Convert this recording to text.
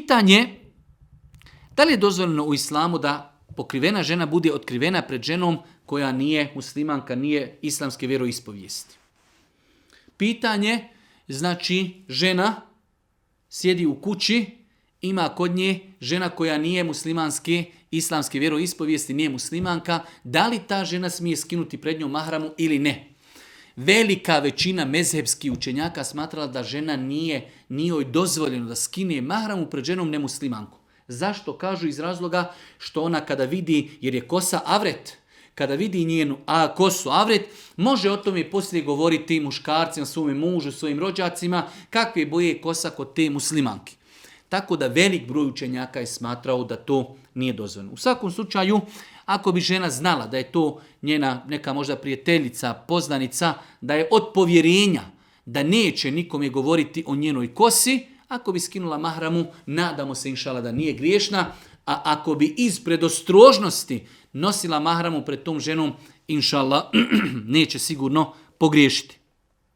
Pitanje, da li je dozvoljeno u islamu da pokrivena žena bude otkrivena pred ženom koja nije muslimanka, nije islamske vjeroispovijesti? Pitanje, znači žena sjedi u kući, ima kod nje žena koja nije muslimanske, islamske vjeroispovijesti, nije muslimanka, da li ta žena smije skinuti pred njom mahramu ili ne? Velika većina mezhebskih učenjaka smatrala da žena nije joj dozvoljeno da skine mahramu pred ženom nemuslimanku. Zašto? Kažu iz razloga što ona kada vidi, jer je kosa avret, kada vidi njenu kosu avret, može o tome poslije govoriti muškarcima, svome mužu, svojim rođacima, kakve boje je kosa kod te muslimanke. Tako da velik broj učenjaka je smatrao da to nije dozvoljeno. U svakom slučaju, ako bi žena znala da je to njena neka možda prijateljica, poznanica, da je od povjerenja, da neće nikome govoriti o njenoj kosi, ako bi skinula mahramu, nadamo se inšala da nije griješna, a ako bi iz predostrožnosti nosila mahramu pred tom ženom, inšala neće sigurno pogriješiti.